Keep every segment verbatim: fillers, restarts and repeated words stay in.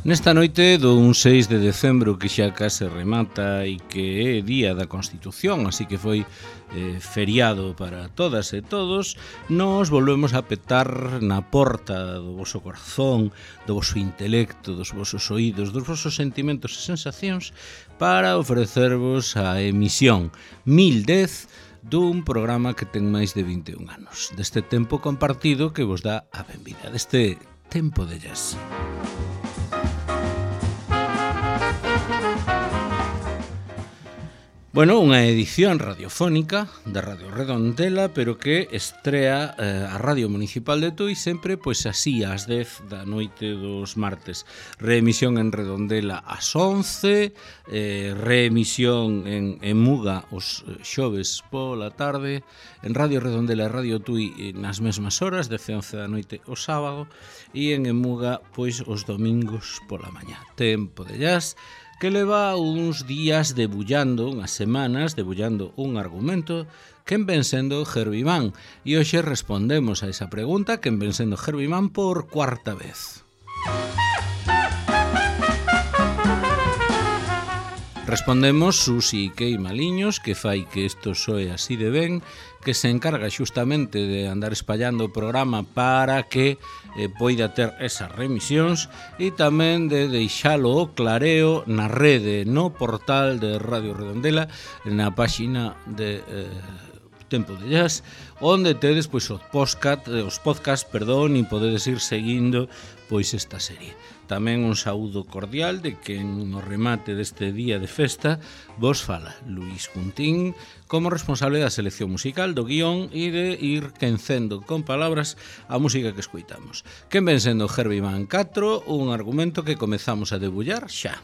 Nesta noite dun seis de decembro que xa case remata e que é día da Constitución, así que foi eh, feriado para todas e todos, nos volvemos a petar na porta do voso corazón, do voso intelecto, dos vosos oídos, dos vosos sentimentos e sensacións para ofrecervos a emisión mil dez dun programa que ten máis de vinte e un anos, deste tempo compartido que vos dá a benvida, deste tempo de jazz. Bueno, unha edición radiofónica da Radio Redondela, pero que estrea eh, a Radio Municipal de Tui sempre pois así ás dez da noite dos martes. Reemisión en Redondela ás once, eh, reemisión en, en Muga os xoves pola tarde, en Radio Redondela e Radio Tui nas mesmas horas, dez e once da noite o sábado, e en Emuga pois os domingos pola mañá. Tempo de jazz, que leva uns días debullando, unhas semanas, debullando un argumento quen ven sendo Herbie Mann. E hoxe respondemos a esa pregunta, quen ven sendo Herbie Mann por cuarta vez. Respondemos Susi Kei Maliños, que fai que isto soe así de ben, que se encarga xustamente de andar espallando o programa para que eh, poida ter esas remisións e tamén de deixalo o clareo na rede, no portal de Radio Redondela, na páxina de eh, Tempo de Jazz, onde tedes pois os podcast, os podcast, perdón, e podedes ir seguindo pois esta serie. Tamén un saúdo cordial de quen no remate deste día de festa vos fala Luís Juntín como responsable da selección musical, do guión e de ir quencendo con palabras a música que escoitamos. Quen ven sendo Herbie Mann catro, un argumento que comezamos a debullar xa.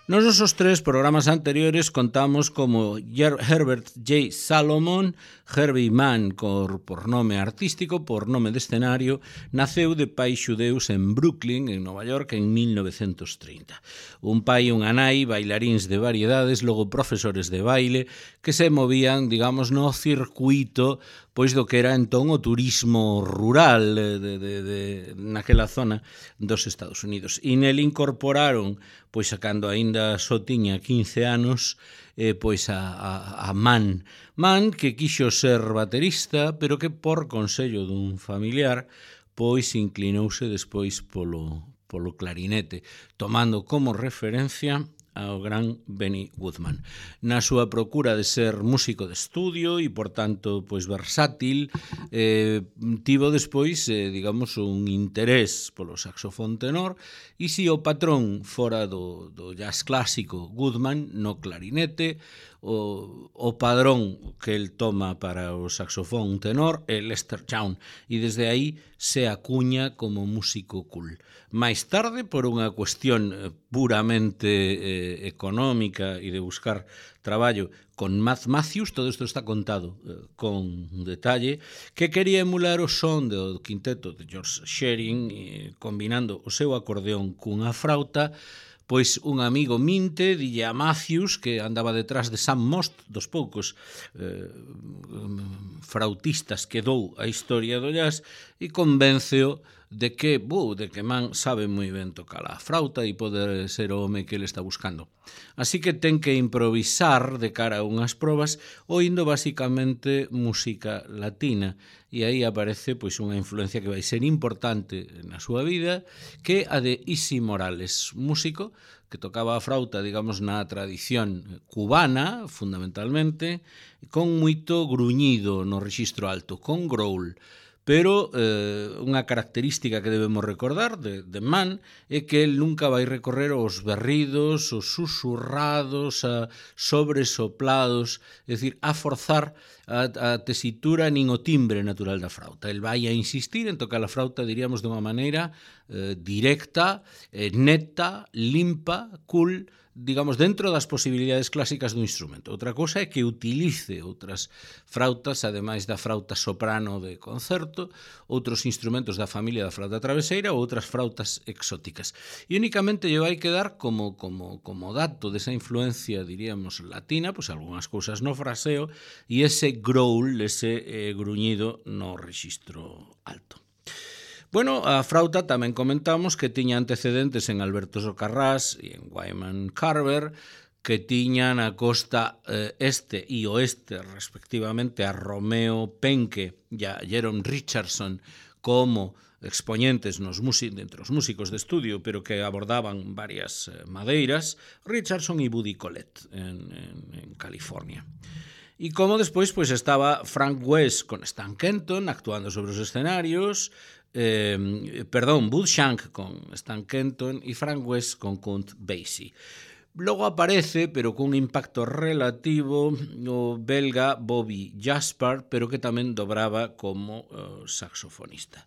Nos nosos tres programas anteriores contamos como Herbert J. Salomon, Herbie Mann por, por nome artístico, por nome de escenario, naceu de pais xudeus en Brooklyn, en Nova York, en mil novecentos trinta. Un pai e unha nai, bailaríns de variedades, logo profesores de baile, que se movían, digamos, no circuito pois do que era entón o turismo rural de, de, de, naquela zona dos Estados Unidos. E nel incorporaron, pois cando aínda só tiña quince anos, eh, pois a, a, a Mann. Mann que quixo ser baterista, pero que por consello dun familiar, pois inclinouse despois polo, polo clarinete, tomando como referencia ao gran Benny Goodman. Na súa procura de ser músico de estudio e, por tanto, pois versátil, eh, tivo despois, eh, digamos, un interés polo saxofón tenor e si o patrón fora do, do jazz clásico Goodman no clarinete, o, o padrón que el toma para o saxofón tenor é Lester Young e desde aí se acuña como músico cool. Mais tarde, por unha cuestión puramente eh, económica e de buscar traballo con Matt Matthews, todo isto está contado eh, con detalle, que quería emular o son do quinteto de George Shearing, eh, combinando o seu acordeón cunha frauta. Pois un amigo minte dille a Matthews, que andaba detrás de Sam Most, dos poucos eh, frautistas que dou a historia do jazz, e convénceo de que, bu, de que Mann sabe moi ben tocar a frauta e poder ser o home que ele está buscando. Así que ten que improvisar de cara a unhas probas oindo basicamente música latina e aí aparece pois unha influencia que vai ser importante na súa vida, que a de Isi Morales, músico que tocaba a frauta, digamos, na tradición cubana, fundamentalmente, con moito gruñido no rexistro alto, con growl. Pero eh, unha característica que debemos recordar de, de Mann é que el nunca vai recorrer os berridos, os susurrados, a sobresoplados, é dicir, a forzar a, a tesitura nin o timbre natural da frauta. El vai a insistir en tocar a frauta, diríamos, de unha maneira eh, directa, eh, neta, limpa, cool, digamos, dentro das posibilidades clásicas do instrumento. Outra cousa é que utilice outras frautas, ademais da frauta soprano de concerto, outros instrumentos da familia da frauta traveseira ou outras frautas exóticas. E únicamente lle vai quedar como, como, como dato desa influencia, diríamos, latina, pois algunhas cousas no fraseo e ese growl, ese eh, gruñido no rexistro alto. Bueno, a frauta tamén comentamos que tiña antecedentes en Alberto Socarrás e en Wyman Carver, que tiñan a costa eh, este e oeste, respectivamente, a Romeo Penke e a Jerome Richardson como expoñentes nos entre os músicos de estudio, pero que abordaban varias eh, madeiras, Richardson e Buddy Collette en, en, en California. E como despois pois, estaba Frank West con Stan Kenton actuando sobre os escenarios, Eh, perdón, Bud Shank con Stan Kenton e Frank West con Count Basie. Logo aparece, pero cun impacto relativo, o belga Bobby Jaspar, pero que tamén dobraba como uh, saxofonista.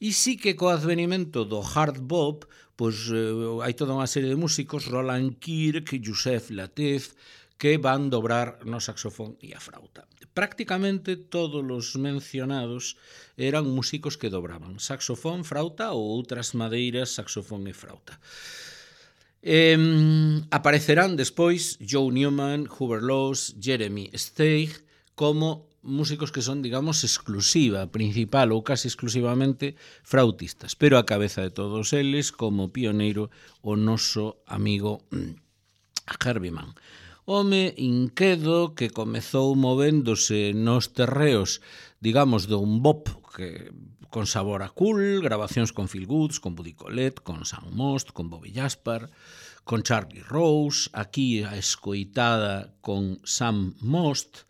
E sí que co advenimento do hard bop, pois uh, hai toda unha serie de músicos, Roland Kirk, Joseph Lateef, que van dobrar no saxofón e a frauta. Prácticamente todos os mencionados eran músicos que dobraban saxofón, frauta ou outras madeiras, saxofón e frauta. Eh, aparecerán despois Joe Newman, Hubert Laws, Jeremy Steig como músicos que son, digamos, exclusiva, principal ou casi exclusivamente frautistas, pero a cabeza de todos eles como pioneiro o noso amigo Herbie Mann. Home inquedo que comezou movéndose nos terreos, digamos, dun bop que, con sabor a cool, grabacións con Phil Woods, con Buddy Collette, con Sam Most, con Bobby Jaspar, con Charlie Rose, aquí a escoitada con Sam Most,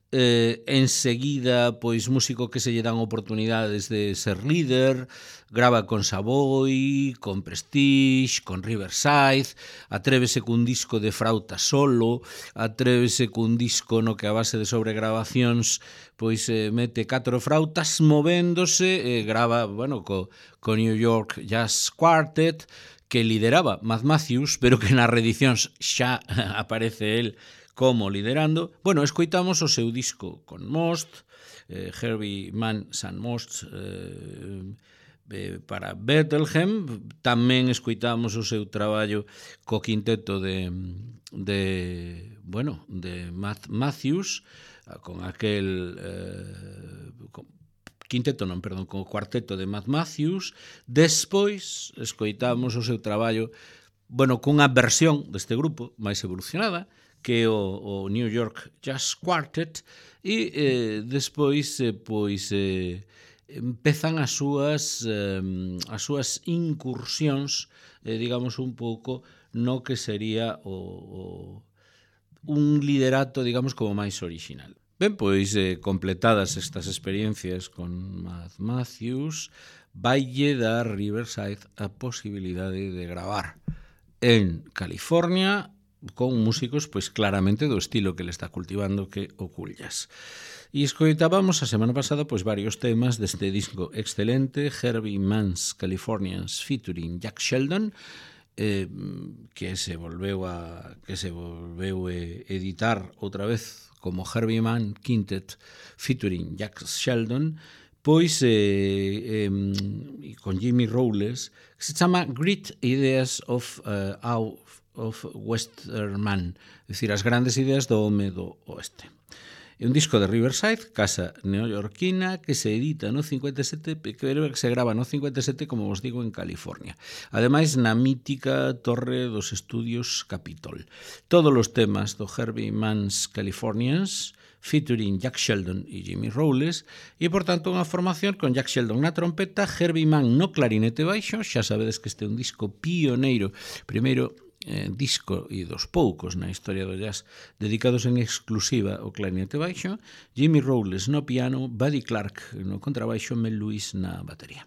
eh, enseguida, pois, músico que se lle dan oportunidades de ser líder, grava con Savoy, con Prestige, con Riverside, atrévese cun disco de frauta solo, atrévese cun disco no que a base de sobregrabacións pois eh, mete catro frautas movéndose, eh, grava, bueno, co, co New York Jazz Quartet, que lideraba Matt Matthews, pero que nas reedicións xa aparece el como liderando. Bueno, escoitamos o seu disco con Most, eh, Herbie Mann San Most, eh, eh, para Bethlehem. Tamén escoitamos o seu traballo co quinteto de, de bueno, de Matt Matthews, con aquel eh, con, quinteto non, perdón, con o cuarteto de Matt Matthews. Despois escoitamos o seu traballo, bueno, cunha versión deste grupo máis evolucionada, que é o, o New York Jazz Quartet, e eh, despois eh, pois eh, empezan as súas eh, as súas incursións, eh, digamos, un pouco no que sería o, o un liderato, digamos, como máis original. Ben, pois, eh, completadas estas experiencias con Matt Matthews, vaille dar Riverside a posibilidade de gravar en California con músicos, pois, claramente do estilo que le está cultivando, que o cool jazz. E escoitábamos a semana pasada pois varios temas deste disco excelente, Herbie Mann's Californians featuring Jack Sheldon, eh, que se volveu a que se volveu a editar outra vez como Herbie Mann Quintet featuring Jack Sheldon, pois eh, eh, con Jimmy Rowles, que se chama Great Ideas of uh, Out of Western Man, é dicir, as grandes ideas do home do oeste. É un disco de Riverside, casa neoyorquina, que se edita no cincuenta e sete, que se grava no cincuenta e sete, como vos digo, en California. Ademais, na mítica torre dos estudios Capitol. Todos os temas do Herbie Mann's Californians, featuring Jack Sheldon e Jimmy Rowles, e, por tanto, unha formación con Jack Sheldon na trompeta, Herbie Mann no clarinete baixo. Xa sabedes que este é un disco pioneiro, primeiro eh, disco e dos poucos na historia do jazz dedicados en exclusiva ao clarinete baixo, Jimmy Rowles no piano, Buddy Clark no contrabaixo, Mel Lewis na batería.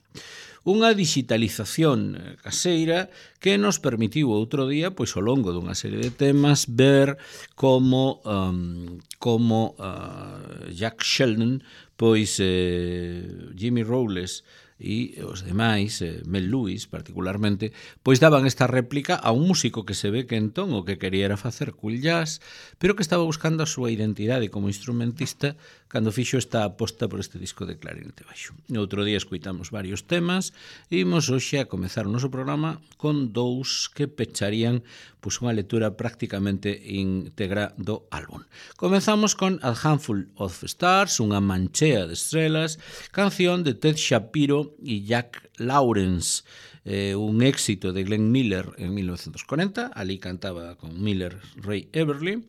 Unha digitalización caseira que nos permitiu outro día, pois ao longo dunha serie de temas, ver como um, como uh, Jack Sheldon, pois eh, Jimmy Rowles e os demais, eh, Mel Lewis particularmente, pois daban esta réplica a un músico que se ve que entón o que quería era facer cool jazz, pero que estaba buscando a súa identidade como instrumentista cando fixo esta aposta por este disco de clarinete baixo. Outro día escoitamos varios temas e imos hoxe a comezar o noso programa con dous que pecharían pois, unha lectura prácticamente íntegra do álbum. Comezamos con A Handful of Stars, unha manchea de estrelas, canción de Ted Shapiro e Jack Lawrence, eh, un éxito de Glenn Miller en mil novecientos cuarenta, ali cantaba con Miller Ray Everly,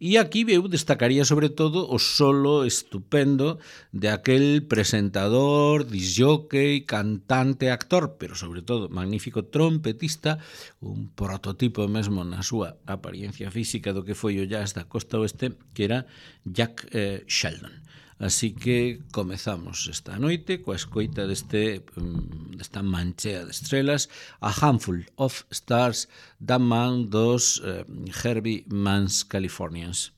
e aquí eu destacaría sobre todo o solo estupendo de aquel presentador, disjockey, cantante, actor, pero sobre todo magnífico trompetista, un prototipo mesmo na súa apariencia física do que foi o jazz da costa oeste, que era Jack eh, Sheldon. Así que comezamos esta noite coa escoita deste, desta manchea de estrelas, A Handful of Stars, da man dos eh, Herbie Mann's Californians.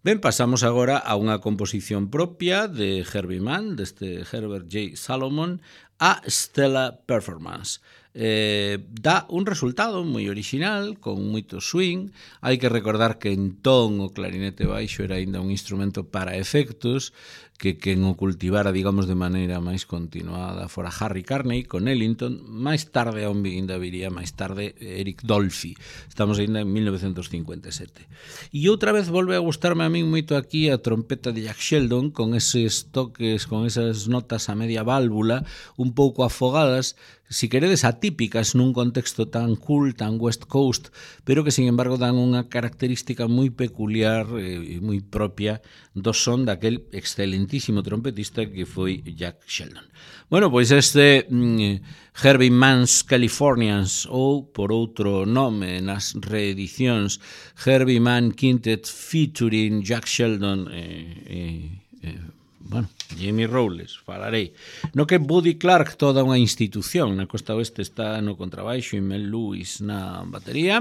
Ben, pasamos agora a unha composición propia de Herbie Mann, deste Herbert J. Salomon, a Stellar Performance. Eh, dá un resultado moi original, con moito swing. Hai que recordar que entón o clarinete baixo era aínda un instrumento para efectos, que quen o cultivara, digamos, de maneira máis continuada fora Harry Carney con Ellington, máis tarde ainda viría máis tarde Eric Dolphy. Estamos ainda en mil novecentos cincuenta e sete. E outra vez volve a gustarme a min moito aquí a trompeta de Jack Sheldon, con eses toques, con esas notas a media válvula, un pouco afogadas, si queredes atípicas nun contexto tan cool, tan West Coast, pero que, sin embargo, dan unha característica moi peculiar e moi propia do son daquel excelentísimo trompetista que foi Jack Sheldon. Bueno, pois este mm, Herbie Mann's Californians, ou, por outro nome nas reedicións, Herbie Mann Quintet featuring Jack Sheldon e... Eh, eh, eh, bueno, Jamie Rowles, falarei. No que Buddy Clark, toda unha institución, na costa oeste está no contrabaixo e Mel Lewis na batería.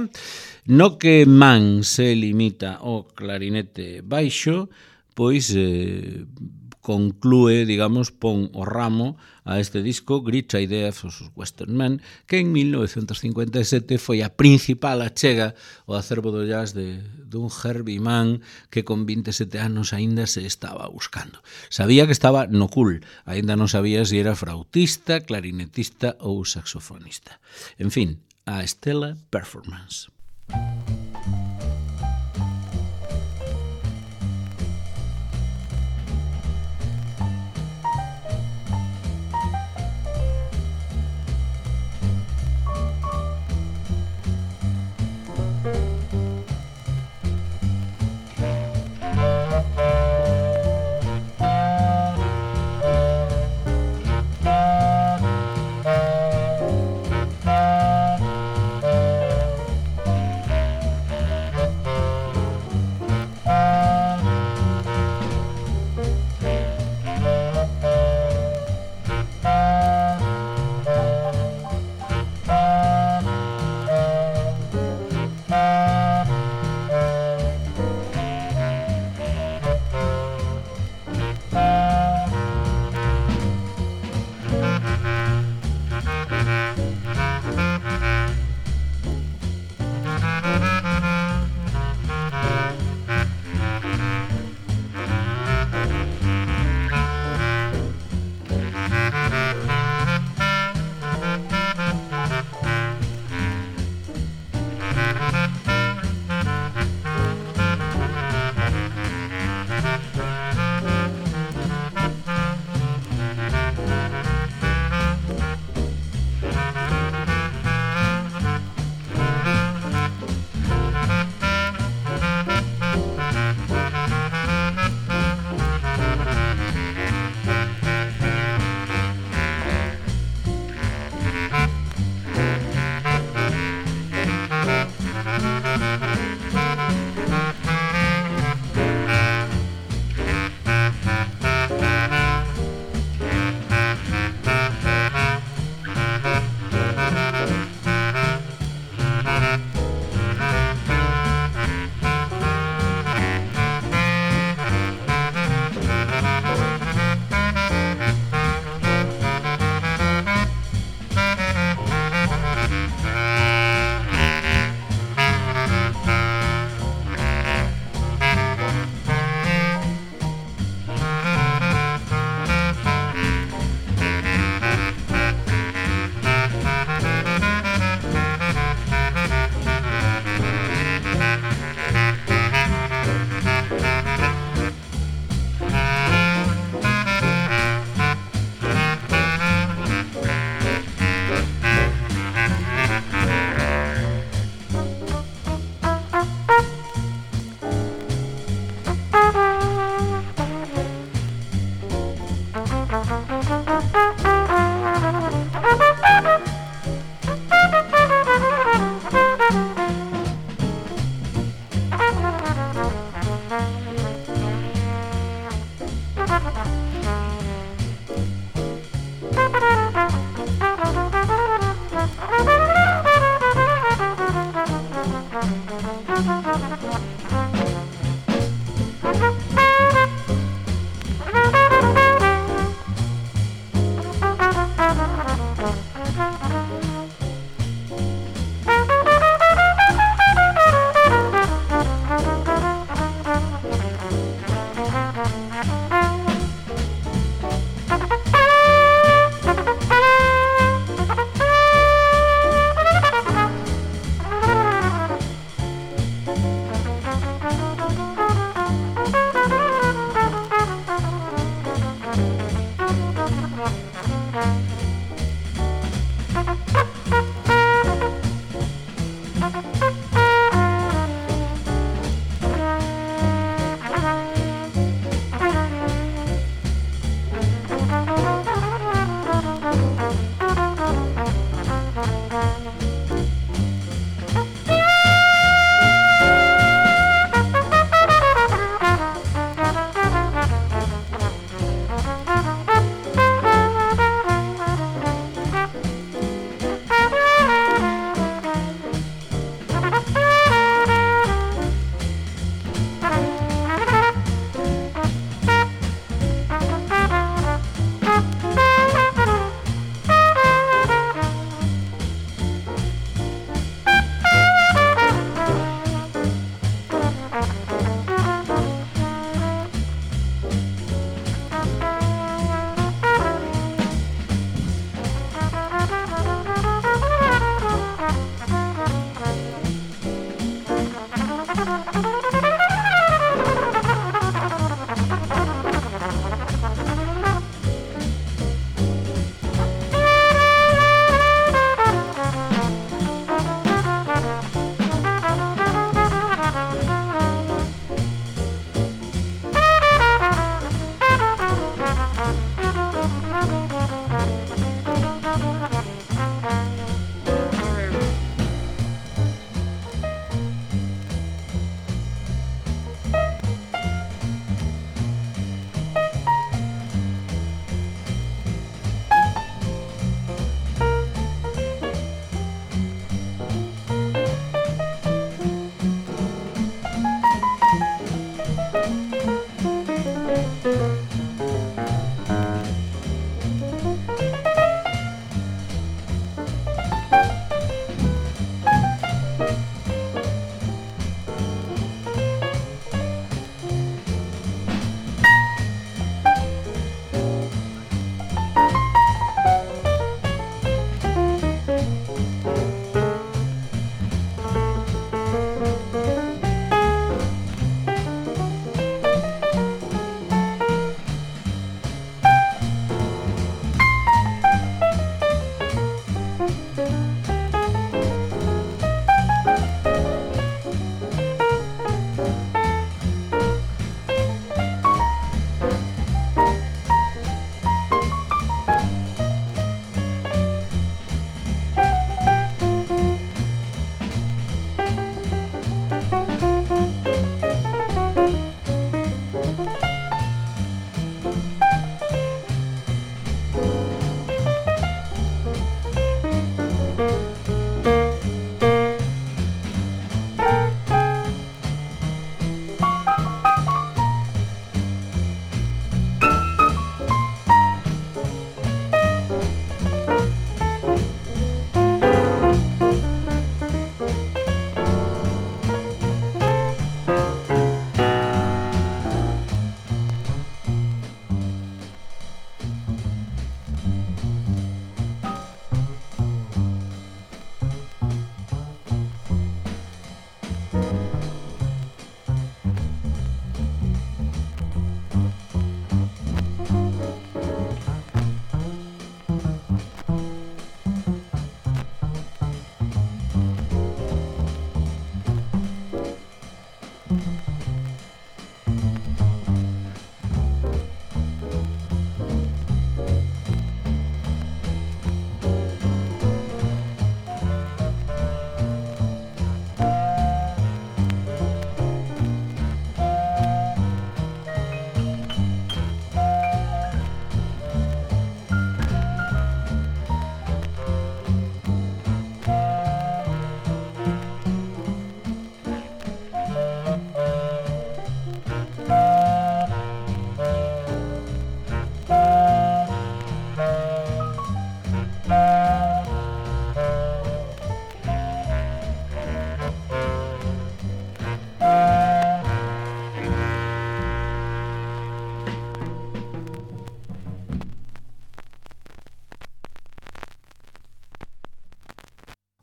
No que Mann se limita ao clarinete baixo, pois eh, conclúe, digamos, pon o ramo a este disco Great Idea for Western Men, que en mil novecentos cincuenta e sete foi a principal achega ao acervo do jazz de dun Herbie Mann que con vinte e sete anos aínda se estaba buscando. Sabía que estaba no cool, aínda non sabía se era flautista, clarinetista ou saxofonista. En fin, a Stellar Performance.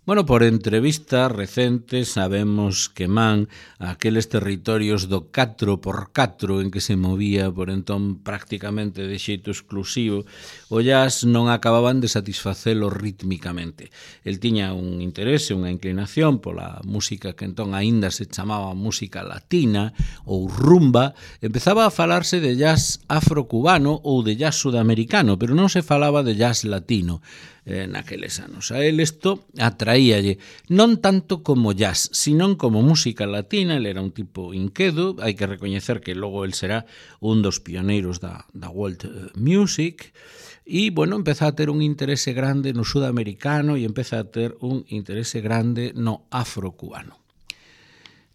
Bueno, por entrevistas recentes sabemos que Man, aqueles territorios do catro por catro en que se movía por entón prácticamente de xeito exclusivo, o jazz non acababan de satisfacelo rítmicamente. El tiña un interese, unha inclinación pola música que entón aínda se chamaba música latina ou rumba. Empezaba a falarse de jazz afrocubano ou de jazz sudamericano, pero non se falaba de jazz latino eh, naqueles anos. A él isto atraíalle non tanto como jazz, sino como música latina. Ele era un tipo inquedo, hai que recoñecer que logo el será un dos pioneiros da, da world music, e, bueno, empeza a ter un interese grande no sudamericano e empeza a ter un interese grande no afrocubano.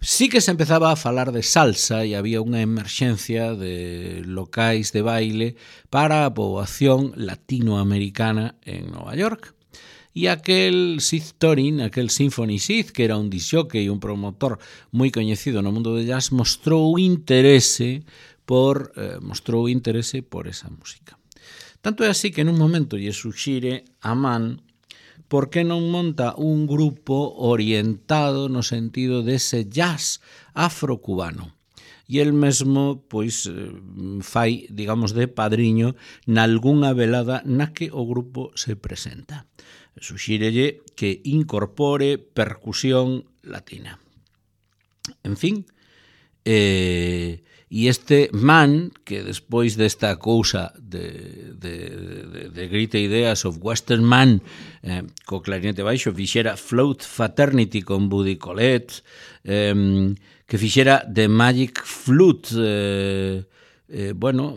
Sí que se empezaba a falar de salsa e había unha emerxencia de locais de baile para a poboación latinoamericana en Nova York. E aquel Sid Torin, aquel Symphony Sid, que era un disjockey e un promotor moi coñecido no mundo de jazz, mostrou interese por eh, mostrou interese por esa música. Tanto é así que en un momento lle suxire a Man por que non monta un grupo orientado no sentido dese jazz afrocubano. E el mesmo, pois, fai, digamos, de padriño nalgunha velada na que o grupo se presenta. Suxírelle que incorpore percusión latina. En fin, eh, e este Man, que despois desta cousa de, de, de, de Great Ideas of Western Man, eh, co clarinete baixo, fixera Float Fraternity con Buddy Collette, eh, que fixera The Magic Flute, eh, eh, bueno,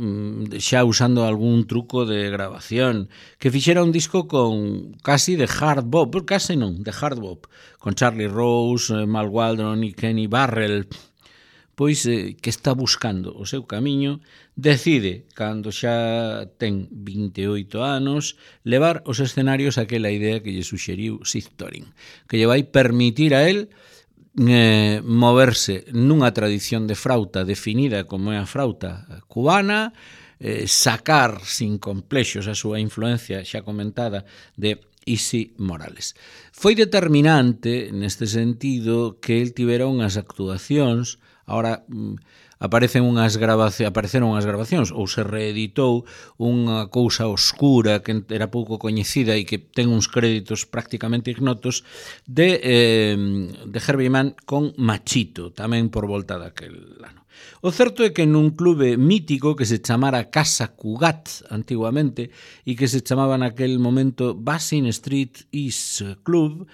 xa usando algún truco de grabación, que fixera un disco con casi de hard bop, casi non, de hard bop, con Charlie Rose, Mal Waldron e Kenny Barrell, pois eh, que está buscando o seu camiño, decide, cando xa ten vinte e oito anos, levar os escenarios aquela idea que lle suxeriu Sid Torin, que lle vai permitir a él eh, moverse nunha tradición de frauta definida como é a frauta cubana, eh, sacar sin complexos a súa influencia xa comentada de Isi Morales. Foi determinante neste sentido que el tivera unhas actuacións. Ahora aparecen unhas grabacións, apareceron unhas grabacións ou se reeditou unha cousa oscura que era pouco coñecida e que ten uns créditos prácticamente ignotos de, eh, de Herbie Mann con Machito, tamén por volta daquel ano. O certo é que nun clube mítico que se chamara Casa Cugat antiguamente e que se chamaba naquel momento Basin Street East Club,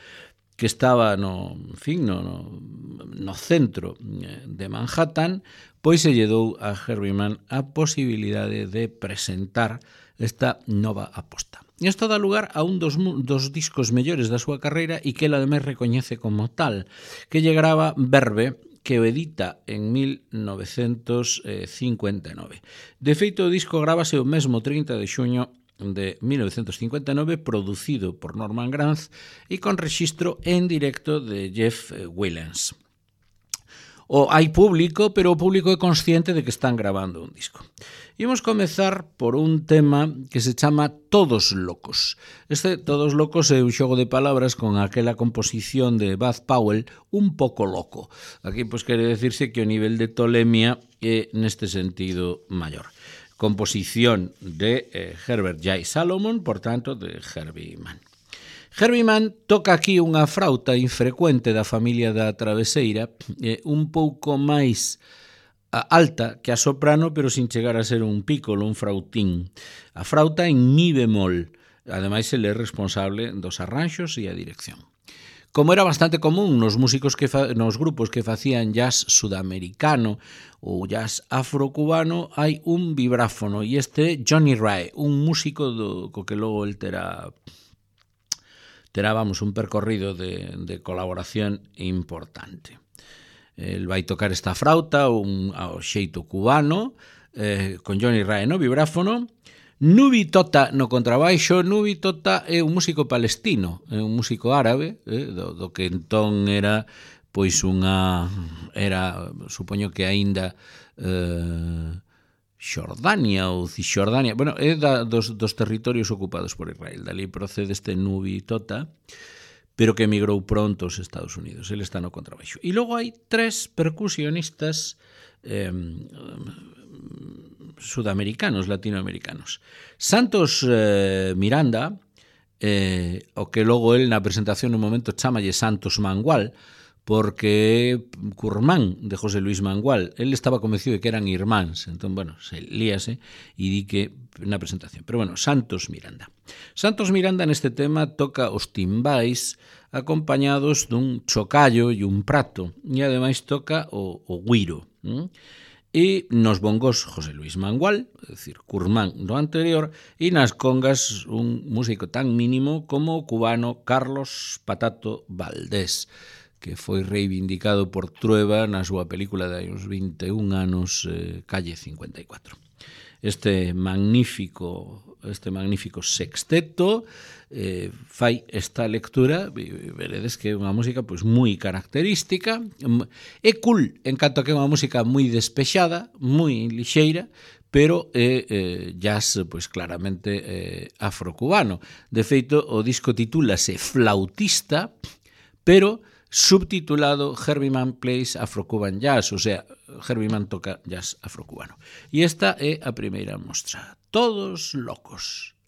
que estaba no, en fin, no, no, no centro de Manhattan, pois se lle dou a Herbie Mann a posibilidade de presentar esta nova aposta. E isto dá lugar a un dos, dos discos mellores da súa carreira e que ela ademais recoñece como tal, que lle grava Verve, que o edita en mil novecentos cincuenta e nove. De feito, o disco grábase o mesmo trinta de xuño de mil novecentos cincuenta e nove, producido por Norman Granz e con rexistro en directo de Jeff Willens. O hai público, pero o público é consciente de que están grabando un disco. Imos comezar por un tema que se chama Todos Locos. Este Todos Locos é un xogo de palabras con aquela composición de Bud Powell un pouco loco. Aquí pois quere decirse que o nivel de tolemia é neste sentido maior. Composición de eh, Herbert J. Salomon, por tanto, de Herbie Mann. Herbie Mann toca aquí unha frauta infrecuente da familia da traveseira, eh, un pouco máis alta que a soprano, pero sin chegar a ser un piccolo, un frautín. A frauta en mi bemol. Ademais, ele é responsable dos arranxos e a dirección. Como era bastante común nos músicos que fa, nos grupos que facían jazz sudamericano ou jazz afrocubano, hai un vibráfono, e este é Johnny Ray, un músico do, co que logo el terá, terá vamos, un percorrido de, de colaboración importante. El vai tocar esta frauta un, ao xeito cubano, eh, con Johnny Ray no vibráfono, Nubi Tota no contrabaixo. Nubi Tota é un músico palestino, é un músico árabe, eh, do, do que entón era pois unha era, supoño que aínda eh, Xordania ou Cisxordania, bueno, é da, dos, dos territorios ocupados por Israel. Dali procede este Nubi Tota, pero que emigrou pronto aos Estados Unidos. Ele está no contrabaixo. E logo hai tres percusionistas eh, sudamericanos, latinoamericanos. Santos eh, Miranda, eh, o que logo el na presentación no momento chamalle Santos Mangual, porque Curmán de José Luis Mangual, el estaba convencido de que eran irmáns, entón, bueno, se líase e di que na presentación. Pero, bueno, Santos Miranda. Santos Miranda neste tema toca os timbais acompañados dun chocallo e un prato, e ademais toca o, o güiro. ¿Mm? E nos bongos José Luis Mangual, é dicir, Curmán do anterior, e nas congas un músico tan mínimo como o cubano Carlos Patato Valdés, que foi reivindicado por Trueba na súa película de hai uns vinte e un anos, eh, Calle cincuenta e cuatro. Este magnífico, este magnífico sexteto eh, fai esta lectura, e veredes que é unha música pois moi característica, é cool, en canto a que é unha música moi despexada, moi lixeira, pero é eh, jazz pois claramente eh, afrocubano. De feito, o disco titúlase Flautista, pero subtitulado Herbie Mann Plays Afro-Cuban Jazz, o sea, Herbie Mann toca jazz afrocubano. E esta é a primeira mostra. Todos locos.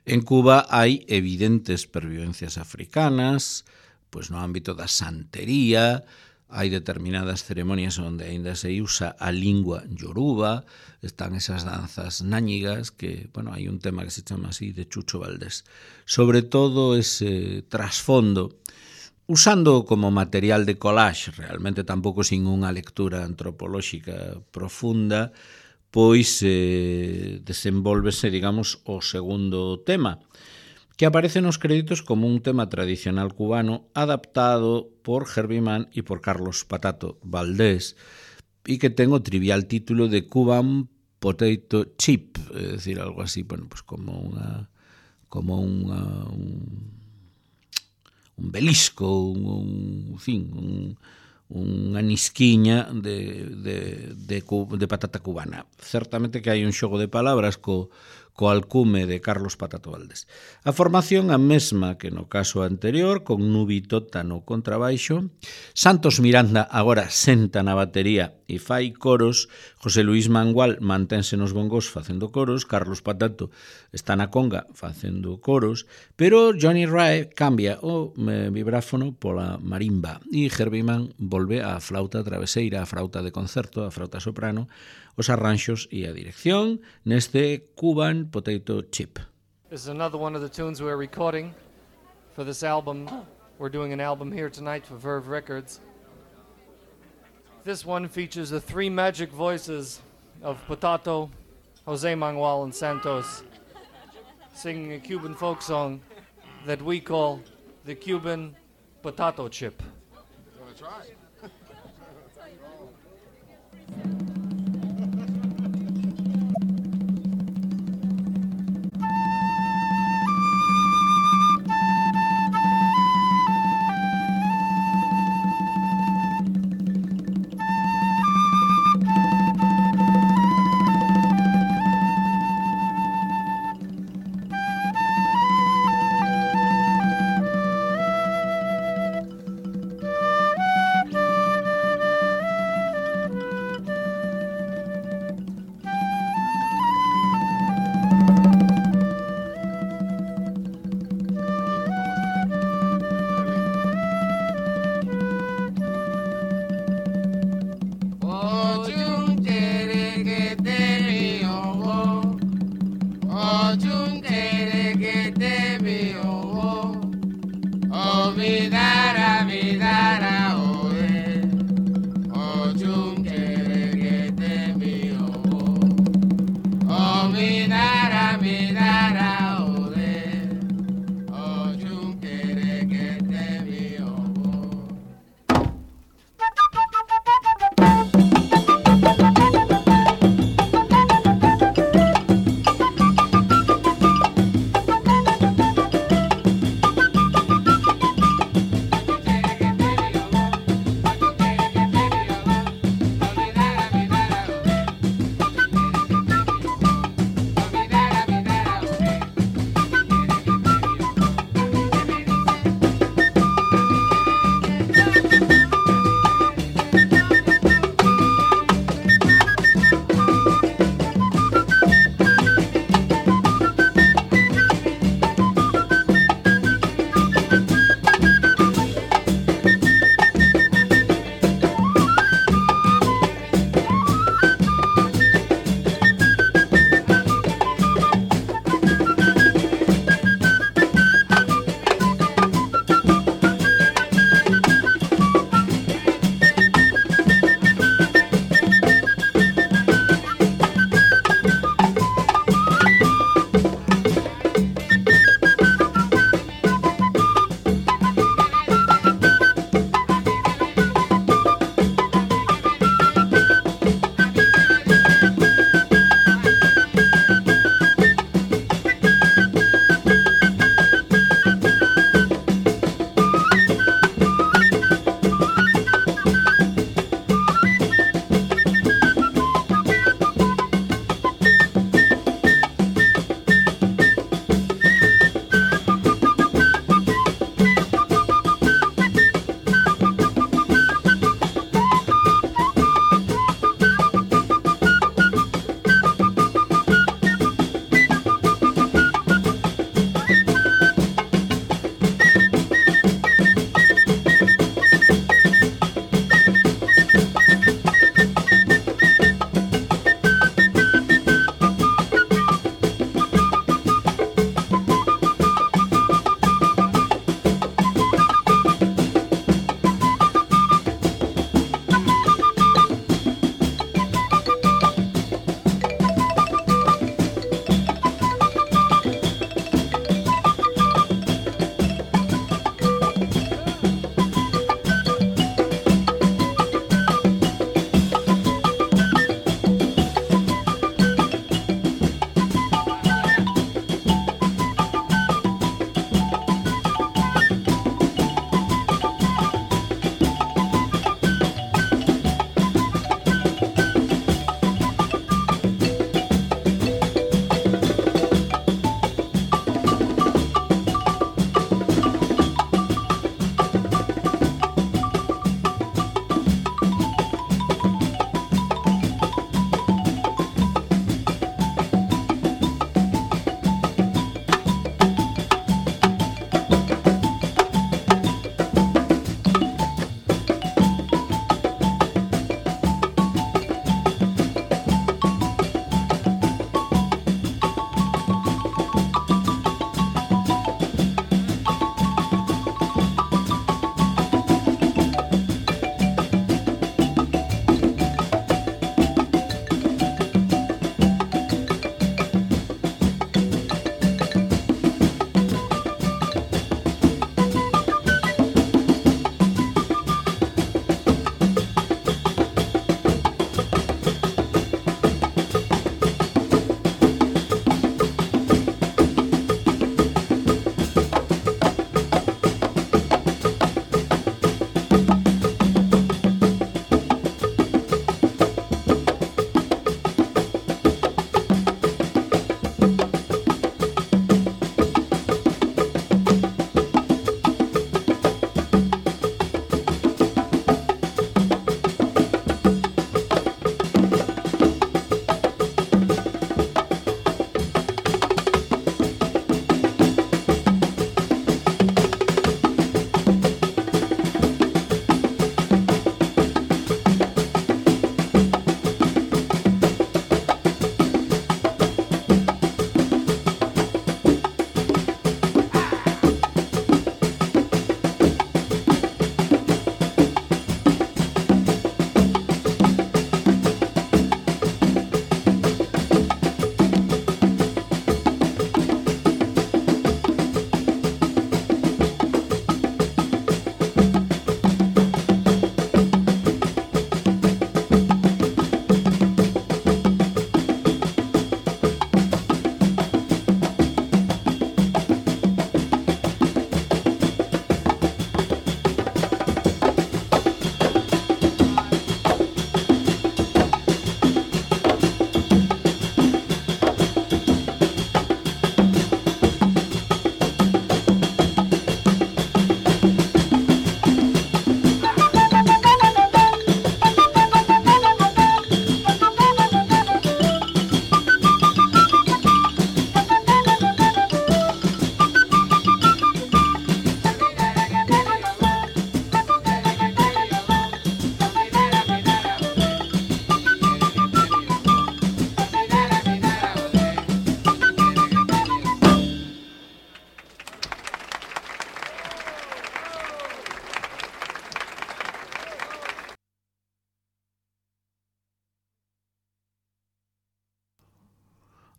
En Cuba hai evidentes pervivencias africanas, pois no ámbito da santería, hai determinadas ceremonias onde aínda se usa a lingua yoruba, están esas danzas náñigas que, bueno, hai un tema que se chama así de Chucho Valdés. Sobre todo ese trasfondo, usando como material de collage, realmente tampouco sin unha lectura antropolóxica profunda, pois eh, desenvolvese, digamos, o segundo tema, que aparece nos créditos como un tema tradicional cubano adaptado por Herbie Mann e por Carlos Patato Valdés e que ten o trivial título de Cuban Potato Chip, é dicir, algo así, bueno, pues como unha como unha un, un belisco, un, un, en fin, un unha nisquiña de, de, de, de patata cubana. Certamente que hai un xogo de palabras co, co alcume de Carlos Patato Valdés. A formación a mesma que no caso anterior, con Nubi Tota no contrabaixo, Santos Miranda agora senta na batería e fai coros, José Luis Mangual mantense nos bongos facendo coros, Carlos Patato está na conga facendo coros, pero Johnny Rae cambia o eh, vibráfono pola marimba e Herbie Mann volve á flauta traveseira, a flauta de concerto, a flauta soprano, os arranxos e a dirección neste Cuban Potato Chip. This is another one of the tunes we're recording for this album. We're doing an album here tonight for Verve Records. This one features the three magic voices of Potato, Jose Manuel, and Santos singing a Cuban folk song that we call the Cuban Potato Chip. That's right.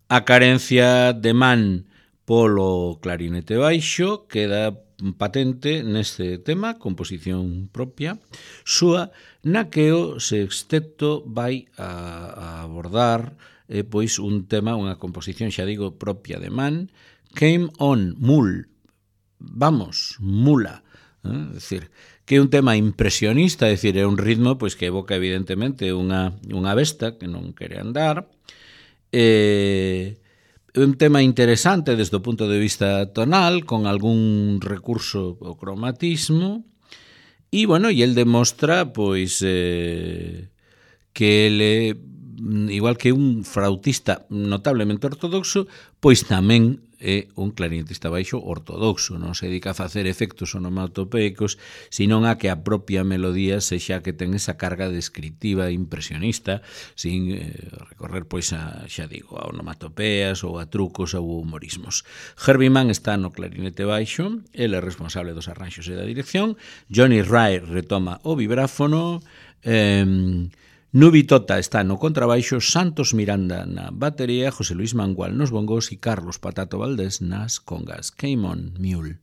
A carencia de man polo clarinete baixo queda patente neste tema, composición propia súa, na que o sexteto vai a, a abordar eh, pois un tema, unha composición, xa digo, propia de man, Came On, Mul, vamos, mula, eh? É dicir, que é un tema impresionista, é dicir, é un ritmo pois que evoca evidentemente unha, unha besta que non quere andar, eh, un tema interesante desde o punto de vista tonal, con algún recurso ao cromatismo, e, bueno, e el demostra, pois, eh, que ele, igual que un flautista notablemente ortodoxo, pois tamén é un clarinetista baixo ortodoxo, non se dedica a facer efectos onomatopeicos, senón a que a propia melodía sexa que ten esa carga descriptiva impresionista, sin eh, recorrer, pois, a, xa digo, a onomatopeas ou a trucos ou humorismos. Herbie Mann está no clarinete baixo, ele é responsable dos arranxos e da dirección, Johnny Ray retoma o vibráfono, eh, Nubi Tota está no contrabaixo, Santos Miranda na batería, José Luis Mangual nos bongos e Carlos Patato Valdés nas congas. Came On, Mule.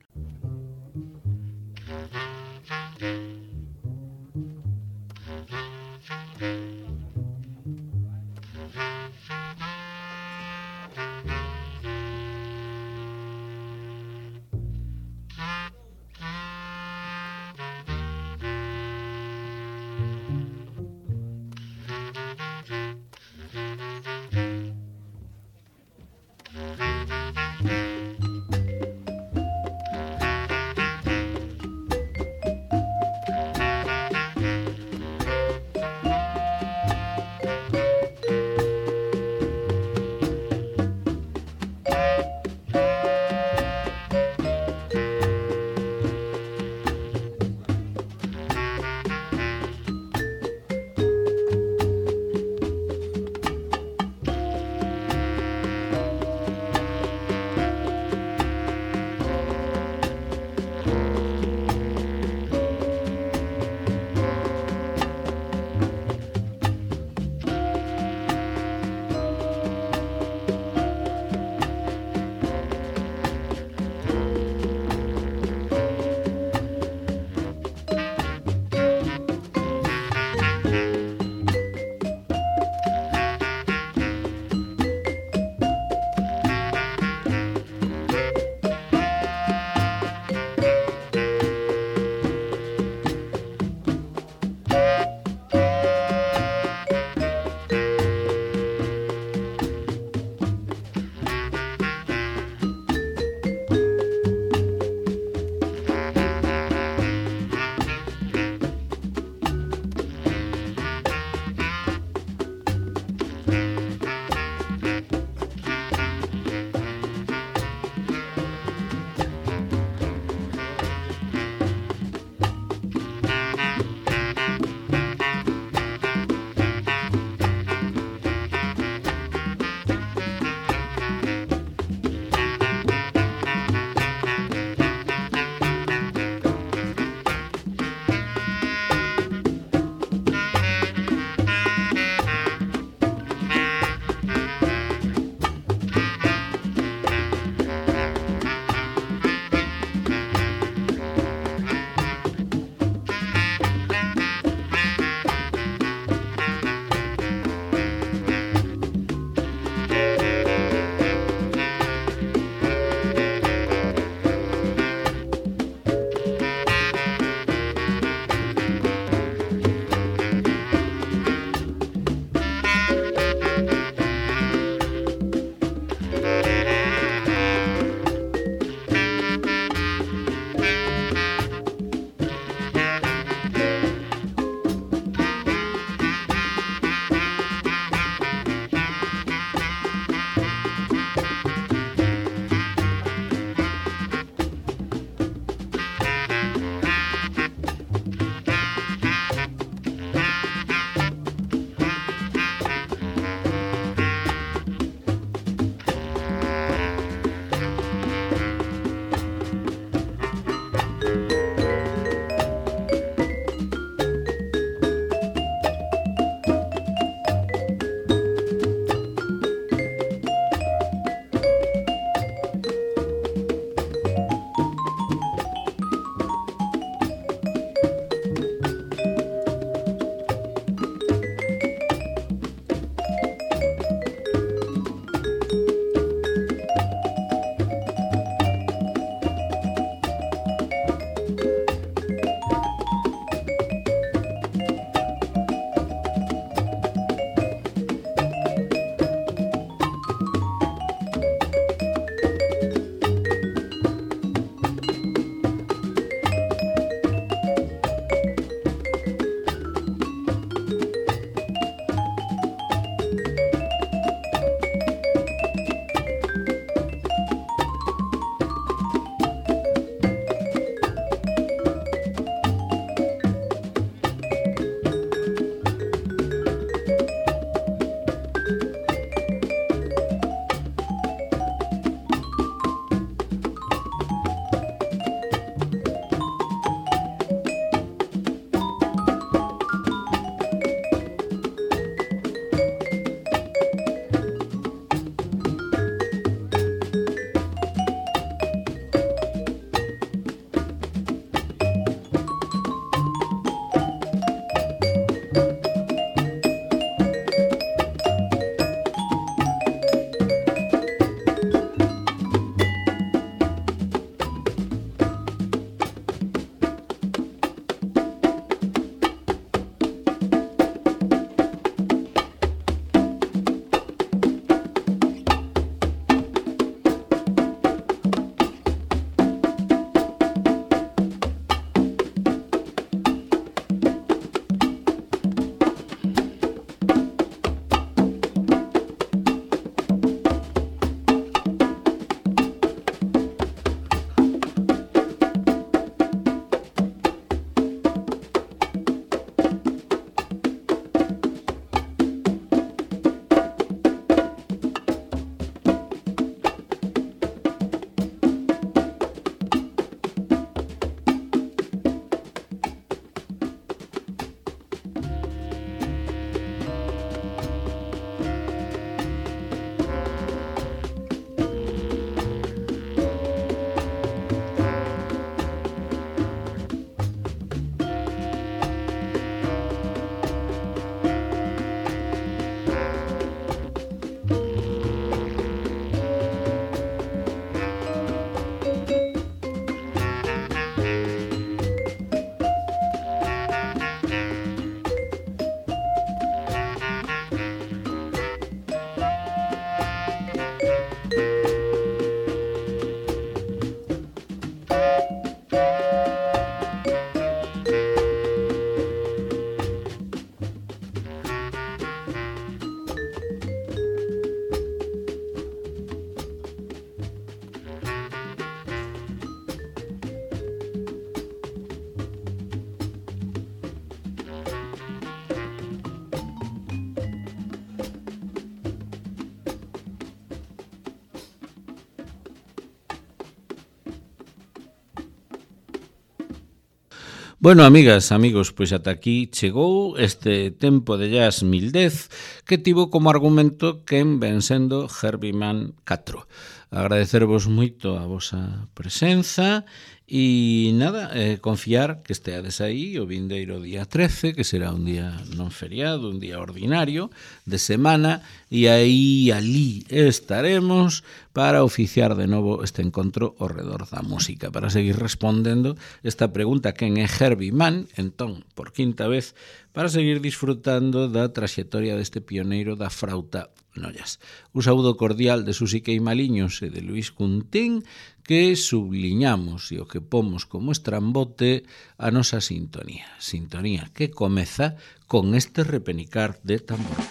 Bueno, amigas, amigos, pois ata aquí chegou este tempo de jazz mil dez que tivo como argumento quen ven sendo Herbie Mann catro. Agradecervos moito a vosa presenza e nada, eh, confiar que esteades aí o vindeiro día trece, que será un día non feriado, un día ordinario de semana, e aí alí estaremos para oficiar de novo este encontro ao redor da música, para seguir respondendo esta pregunta: quen é Herbie Mann? Entón, por quinta vez, para seguir disfrutando da traxectoria deste pioneiro da frauta no jazz. Un saúdo cordial de Susi Queimaliños e de Luis Cuntín, que subliñamos e o que pomos como estrambote a nosa sintonía. Sintonía que comeza con este repenicar de tambor.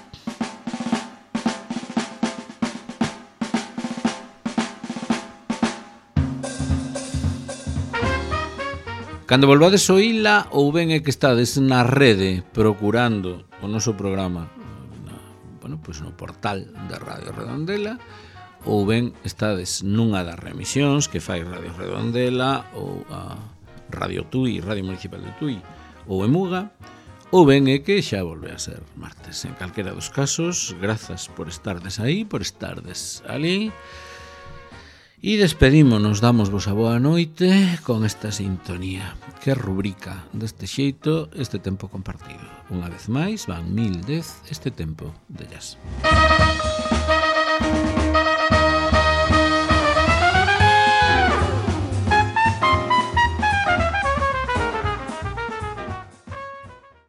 Cando volvades oíla, ou ben é que estades na rede procurando o noso programa na, bueno, pois no portal da Radio Redondela, ou ben estades nunha das remisións que fai Radio Redondela ou a Radio Tui, Radio Municipal de Tui ou Emuga, ou ben é que xa volve a ser martes. En calquera dos casos, grazas por estardes aí, por estardes ali. E despedímonos, damos vos a boa noite con esta sintonía que rubrica deste xeito este tempo compartido. Unha vez máis, van mil dez este tempo de jazz.